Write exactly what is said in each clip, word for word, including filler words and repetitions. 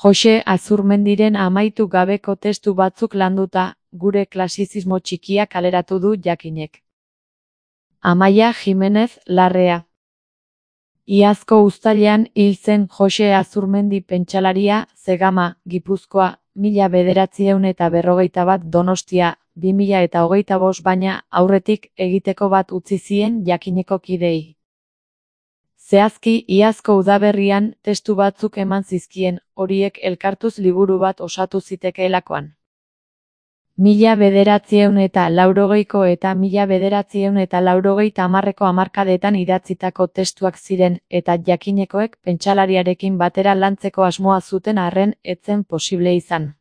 Jose Azurmendiren amaitu gabeko testu batzuk landuta, gure klasizismo txikia kaleratu du Jakinek. Amaia Jimenez Larrea. Iazko uztailean hil zen Jose Azurmendi pentsalaria, Zegama, Gipuzkoa, mila bederatziehun eta berrogeita bat Donostia, bi mila eta hogeita bost baina aurretik egiteko bat utzi zien Jakineko kidei. Zehazki, iazko udaberrian testu batzuk eman zizkien, horiek elkartuz liburu bat osatu zitekeelakoan. Mila bederatziehun eta laurogeiko eta mila bederatziehun eta laurogeita hamarreko hamarkadetan idatzitako testuak ziren eta Jakinekoek pentsalariarekin batera lantzeko asmoa zuten arren ez zen posible izan.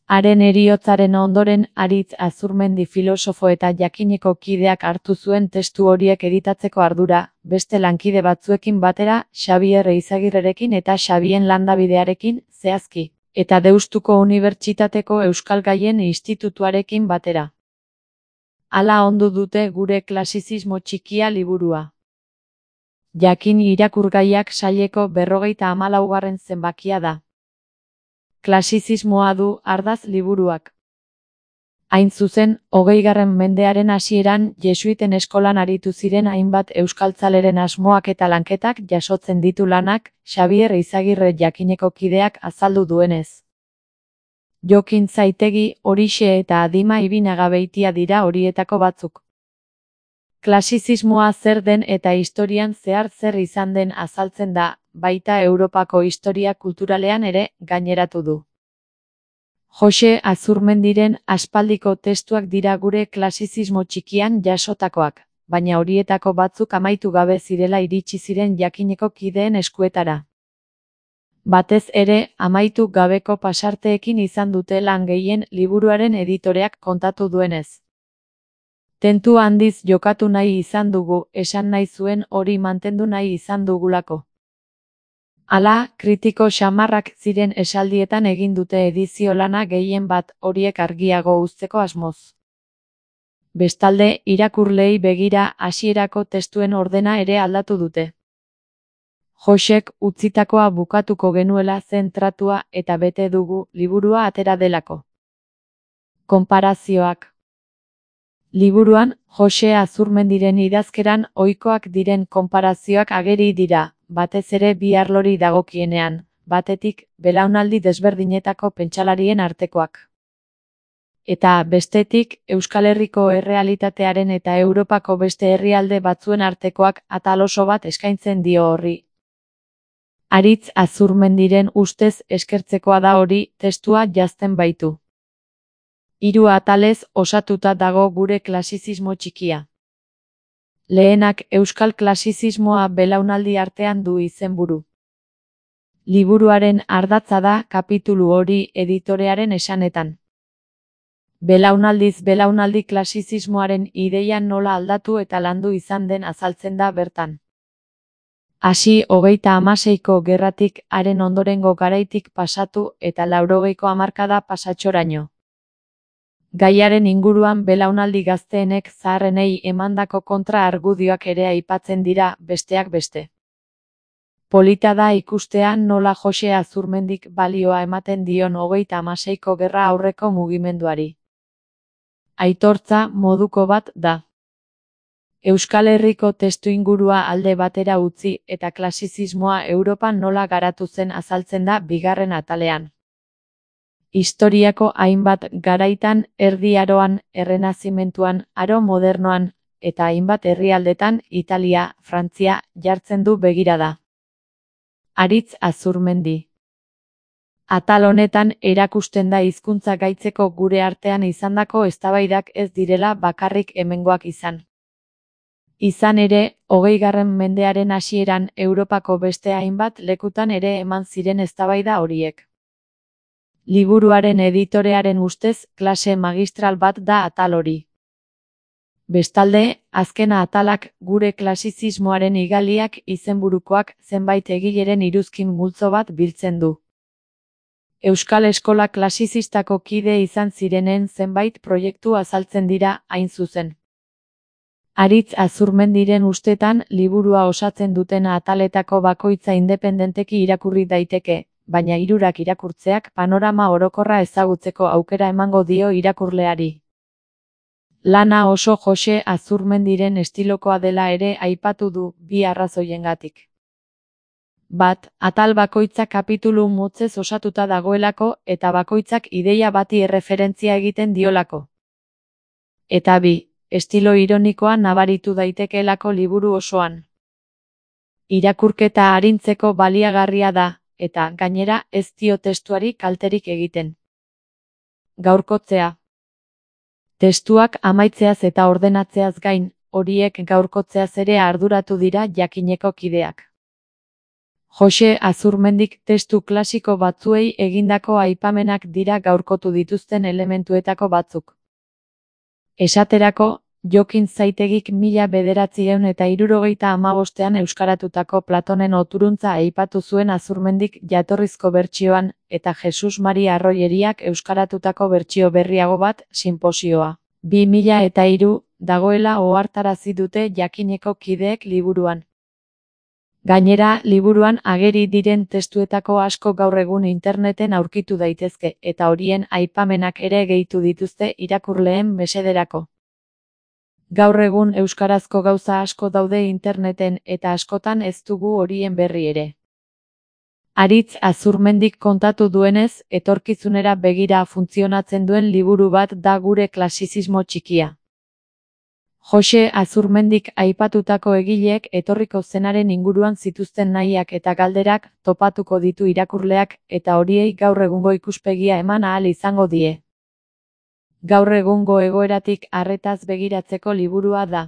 Haren heriotzaren ondoren Aritz Azurmendi filosofo eta Jakineko kideak hartu zuen testu horiek editatzeko ardura, beste lankide batzuekin batera, Xabier Eizagirrerekin eta Xabien Landabidearekin, zehazki, eta Deustuko Unibertsitateko Euskal Gaien Institutuarekin batera. Hala ondu dute gure klasizismo txikia liburua. Jakin irakurgaiak saileko berrogeita hamalaugarren zenbakia da. Klasizismoa du ardaz liburuak. Hain zuzen, hogeigarren mendearen hasieran jesuiten eskolan aritu ziren hainbat euskaltzaleren asmoak eta lanketak jasotzen ditu lanak, Xabier Eizagirre Jakineko kideak azaldu duenez. Jokin Zaitegi, Horixe eta Adima Ibinagabeitia dira horietako batzuk. Klasizismoa zer den eta historian zehar zer izan den azaltzen da, baita Europako historia kulturalean ere gaineratu du. Jose Azurmendiren aspaldiko testuak dira gure klasizismo txikian jasotakoak, baina horietako batzuk amaitu gabe zirela iritsi ziren Jakineko kideen eskuetara. Batez ere, amaitu gabeko pasarteekin izan dute lan gehien liburuaren editoreak kontatu duenez. Tentu handiz jokatu nahi izan dugu, esan nahi zuen hori mantendu nahi izan dugulako. Hala, kritiko xamarrak ziren esaldietan egin dute edizio lana gehien bat horiek argiago uzteko asmoz. Bestalde, irakurleei begira hasierako testuen ordena ere aldatu dute. Josek utzitakoa bukatuko genuela zentratua eta bete dugu liburua atera delako. Konparazioak. Liburuan, Jose Azurmendiren idazkeran ohikoak diren konparazioak ageri dira, batez ere bi arlori dagokienean, batetik, belaunaldi desberdinetako pentsalarien artekoak. Eta bestetik, Euskal Herriko errealitatearen eta Europako beste herrialde batzuen artekoak atal oso bat eskaintzen dio horri. Aritz Azurmendiren ustez eskertzekoa da hori, testua janzten baitu. Hiru atalez osatuta dago gure klasizismo txikia. Lehenak euskal klasizismoa belaunaldi artean du izenburu. Liburuaren ardatza da kapitulu hori editorearen esanetan. Belaunaldiz belaunaldi klasizismoaren ideia nola aldatu eta landu izan den azaltzen da bertan. Hasi hogeita hamaseiko gerratik haren ondorengo garaitik pasatu eta laurogeiko hamarkada pasatxoraino. Gaiaren inguruan belaunaldi gazteenek zaharrenei emandako kontra argudioak ere aipatzen dira, besteak beste. Polita da ikustea nola Jose Azurmendik balioa ematen dion hogeita hamaseiko gerra aurreko mugimenduari. Aitortza moduko bat da. Euskal Herriko testuingurua alde batera utzi eta klasizismoa Europan nola garatu zen azaltzen da bigarren atalean. Historiako hainbat garaitan, Erdi Aroan, Errenazimentuan, Aro Modernoan, eta hainbat herrialdetan, Italia, Frantzia, jartzen du begirada. Aritz Azurmendi. Atal honetan erakusten da hizkuntza gaitzeko gure artean izandako eztabaidak ez direla bakarrik hemengoak izan. Izan ere, hogeigarren mendearen hasieran Europako beste hainbat lekutan ere eman ziren eztabaida horiek. Liburuaren editorearen ustez, klase magistral bat da atal hori. Bestalde, azkena atalak gure klasizismoaren igaliak izenburukoak zenbait egileren iruzkin multzo bat biltzen du. Euskal Eskola Klasizistako kide izan zirenen zenbait proiektu azaltzen dira hain zuzen. Aritz Azurmendiren ustetan liburua osatzen duten ataletako bakoitza independenteki irakurri daiteke, baina hirurak irakurtzeak panorama orokorra ezagutzeko aukera emango dio irakurleari. Lana oso Jose Azurmendiren estilokoa dela ere aipatu du bi arrazoiengatik. Bat, atal bakoitza kapitulu motzez osatuta dagoelako eta bakoitzak ideia bati erreferentzia egiten diolako. Eta bi, estilo ironikoa nabaritu daitekeelako liburu osoan. Irakurketa arintzeko baliagarria da, eta gainera ez dio testuari kalterik egiten. Gaurkotzea. Testuak amaitzeaz eta ordenatzeaz gain, horiek gaurkotzeaz ere arduratu dira jakineko kideak. Jose Azurmendik testu klasiko batzuei egindako aipamenak dira gaurkotu dituzten elementuetako batzuk. Esaterako, Jokin Zaitegik mila bederatziehun eta hirurogeita hamabostean euskaratutako Platonen oturuntza aipatu zuen Azurmendik jatorrizko bertsioan, eta Jesus Mari Arroyeriak euskaratutako bertsio berriago bat, Sinposioa, bi mila eta hiru, dagoela ohartarazi dute jakineko kideek liburuan. Gainera, liburuan ageri diren testuetako asko gaur egun interneten aurkitu daitezke, eta horien aipamenak ere gehitu dituzte irakurleen mesederako. Gaur egun euskarazko gauza asko daude interneten eta askotan ez dugu horien berri ere. Aritz Azurmendik kontatu duenez, etorkizunera begira funtzionatzen duen liburu bat da gure klasizismo txikia. Jose Azurmendik aipatutako egileek etorriko zenaren inguruan zituzten nahiak eta galderak topatuko ditu irakurleak eta horiei gaur egungo ikuspegia eman ahal izango die. Gaur egungo egoeratik arretaz begiratzeko liburua da.